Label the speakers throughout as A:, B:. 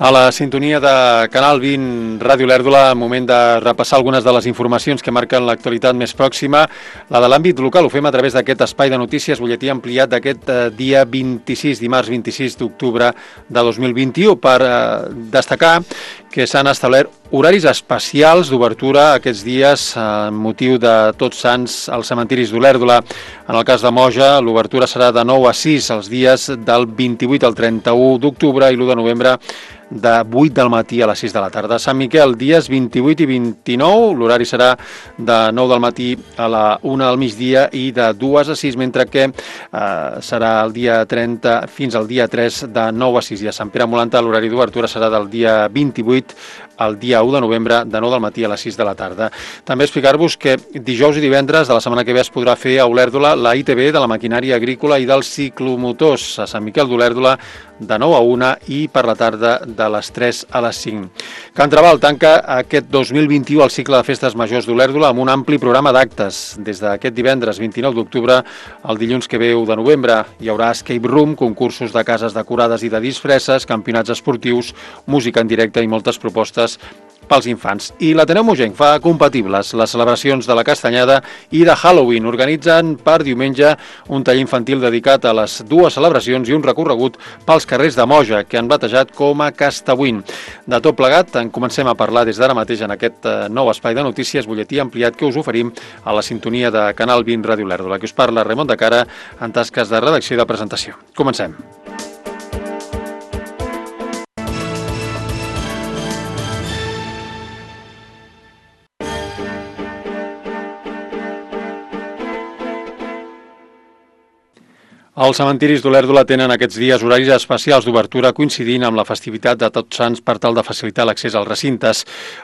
A: A la sintonia de Canal 20 Ràdio Lèrdula, moment de repassar algunes de les informacions que marquen l'actualitat més pròxima. La de l'àmbit local ho fem a través d'aquest espai de notícies, butlletí ampliat d'aquest dia 26, dimarts 26 d'octubre de 2021, per destacar que s'han establert horaris especials d'obertura aquests dies amb motiu de Tots Sants als cementiris d'Olèrdola. En el cas de Moja, l'obertura serà de 9 a 6 els dies del 28 al 31 d'octubre i l'1 de novembre de 8 del matí a les 6 de la tarda. Sant Miquel, dies 28 i 29, l'horari serà de 9 del matí a la 1 del migdia i de 2 a 6, mentre que serà el dia 30 fins al dia 3 de 9 a 6. I a Sant Pere Molanta l'horari d'obertura serà del dia 28 al dia 1 de novembre de 9 del matí a les 6 de la tarda. També explicar-vos que dijous i divendres de la setmana que ve es podrà fer a Olèrdola la ITV de la maquinària agrícola i dels ciclomotors a Sant Miquel d'Olèrdola de 9 a 1 i per la tarda de les 3 a les 5. Can Trabal tanca aquest 2021 el cicle de festes majors d'Olèrdola amb un ampli programa d'actes. Des d'aquest divendres 29 d'octubre al dilluns que ve 1 de novembre hi haurà escape room, concursos de cases decorades i de disfresses, campionats esportius, música en directe i moltes propostes pels infants. I l'Ateneu Mogenc fa compatibles les celebracions de la Castanyada i de Halloween. Organitzen per diumenge un taller infantil dedicat a les dues celebracions i un recorregut pels carrers de Moja, que han batejat com a Castabuin. De tot plegat, en comencem a parlar des d'ara mateix en aquest nou espai de notícies, butlletí ampliat que us oferim a la sintonia de Canal 20 Ràdio Lèrdula. Que us parla Ramon de Cara en tasques de redacció i de presentació. Comencem. Els cementiris d'Olèrdola tenen aquests dies horaris especials d'obertura coincidint amb la festivitat de Tots Sants per tal de facilitar l'accés als recintes.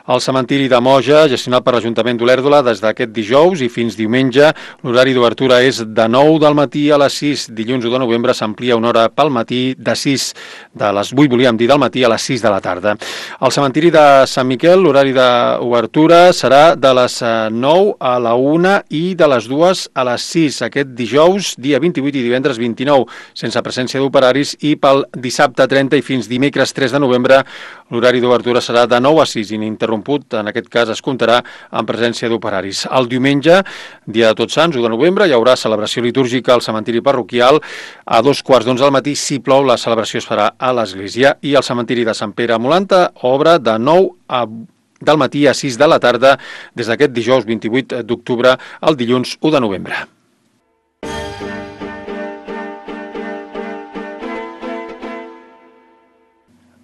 A: El cementiri de Moja, gestionat per l'Ajuntament d'Olèrdola des d'aquest dijous i fins diumenge, l'horari d'obertura és de 9 del matí a les 6. Dilluns 1 de novembre s'amplia una hora pel matí de 6, de les 8, volíem dir, del matí a les 6 de la tarda. Al cementiri de Sant Miquel, l'horari d'obertura serà de les 9 a la 1 i de les 2 a les 6. Aquest dijous, dia 28 i divendres 29, sense presència d'operaris, i pel dissabte 30 i fins dimecres 3 de novembre l'horari d'obertura serà de 9 a 6, ininterromput, en aquest cas es comptarà amb presència d'operaris. El diumenge, dia de Tots Sants, 1 de novembre, hi haurà celebració litúrgica al cementiri parroquial a 2:15 del matí. Si plou, la celebració es farà a l'església, i el cementiri de Sant Pere Molanta obre de 9 del matí a 6 de la tarda des d'aquest dijous 28 d'octubre al dilluns 1 de novembre.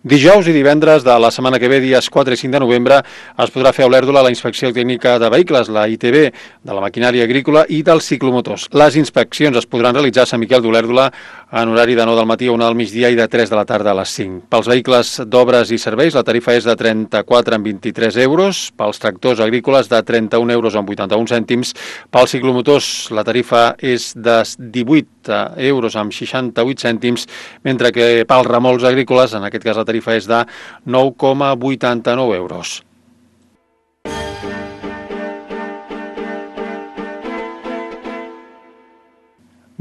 A: Dijous i divendres de la setmana que ve, dies 4 i 5 de novembre, es podrà fer a Olèrdola la inspecció tècnica de vehicles, la ITV, de la maquinària agrícola i dels ciclomotors. Les inspeccions es podran realitzar a Sant Miquel d'Olèrdola en horari de 9 del matí a 1 del migdia i de 3 de la tarda a les 5. Pels vehicles d'obres i serveis, la tarifa és de 34,23 euros, pels tractors agrícoles de 31,81 cèntims, pels ciclomotors la tarifa és de 18,68 cèntims, mentre que pels remolcs agrícoles, en aquest cas la tarifa és de 9,89 euros.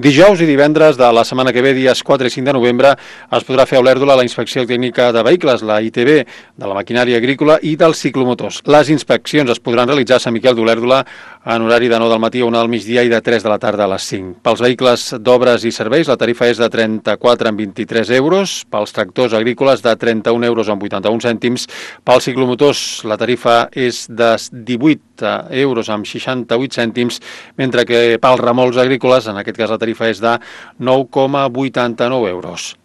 A: Dijous i divendres de la setmana que ve, dies 4 i 5 de novembre, es podrà fer a Olèrdola la inspecció tècnica de vehicles, la ITV, de la maquinària agrícola i dels ciclomotors. Les inspeccions es podran realitzar a Sant Miquel d'Olèrdola en horari de 9 del matí a 1 del migdia i de 3 de la tarda a les 5. Pels vehicles d'obres i serveis, la tarifa és de 34,23 euros, pels tractors agrícoles de 31,81 cèntims, pels ciclomotors la tarifa és de 18,68 cèntims, mentre que pels remolcs agrícoles, en aquest cas la tarifa és de 9,89 euros.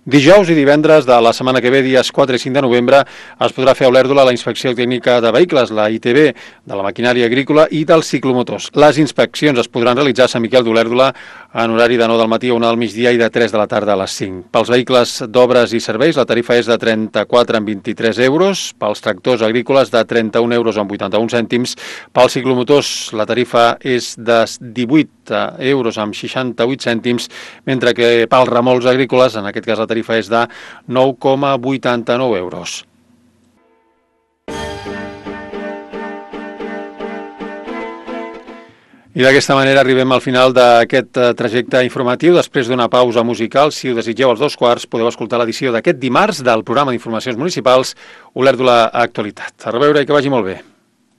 A: Dijous i divendres de la setmana que ve, dies 4 i 5 de novembre, es podrà fer a Olèrdola la inspecció tècnica de vehicles, la ITV, de la maquinària agrícola i dels ciclomotors. Les inspeccions es podran realitzar a Sant Miquel d'Olèrdola en horari de 9 del matí a 1 del migdia i de 3 de la tarda a les 5. Pels vehicles d'obres i serveis, la tarifa és de 34,23 euros, pels tractors agrícoles de 31,81 cèntims, pels ciclomotors la tarifa és de 18,68 cèntims, mentre que pels remolcs agrícoles, en aquest cas la tarifa és de 9,89 euros. I d'aquesta manera arribem al final d'aquest trajecte informatiu. Després d'una pausa musical, si ho desitgeu als 2:15, podeu escoltar l'edició d'aquest dimarts del programa d'informacions municipals Olèrdola Actualitat. A reveure i que vagi molt bé.